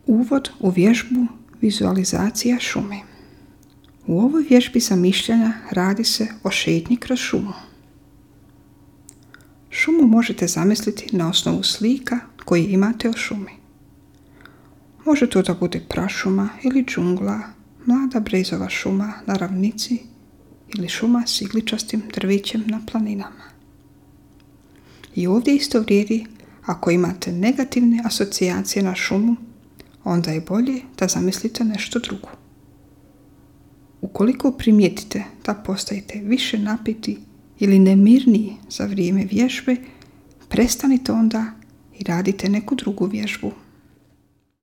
Uvod u vježbu vizualizacija šume. U ovoj vježbi zamišljanja radi se o šetnji kroz šumu. Šumu možete zamisliti na osnovu slika koje imate o šumi. Može to da bude prašuma ili džungla, mlada brezova šuma na ravnici ili šuma s igličastim drvećem na planinama. I ovdje isto vrijedi, ako imate negativne asocijacije na šumu, onda je bolje da zamislite nešto drugo. Ukoliko primijetite da postajete više napeti ili nemirniji za vrijeme vježbe, prestanite onda i radite neku drugu vježbu.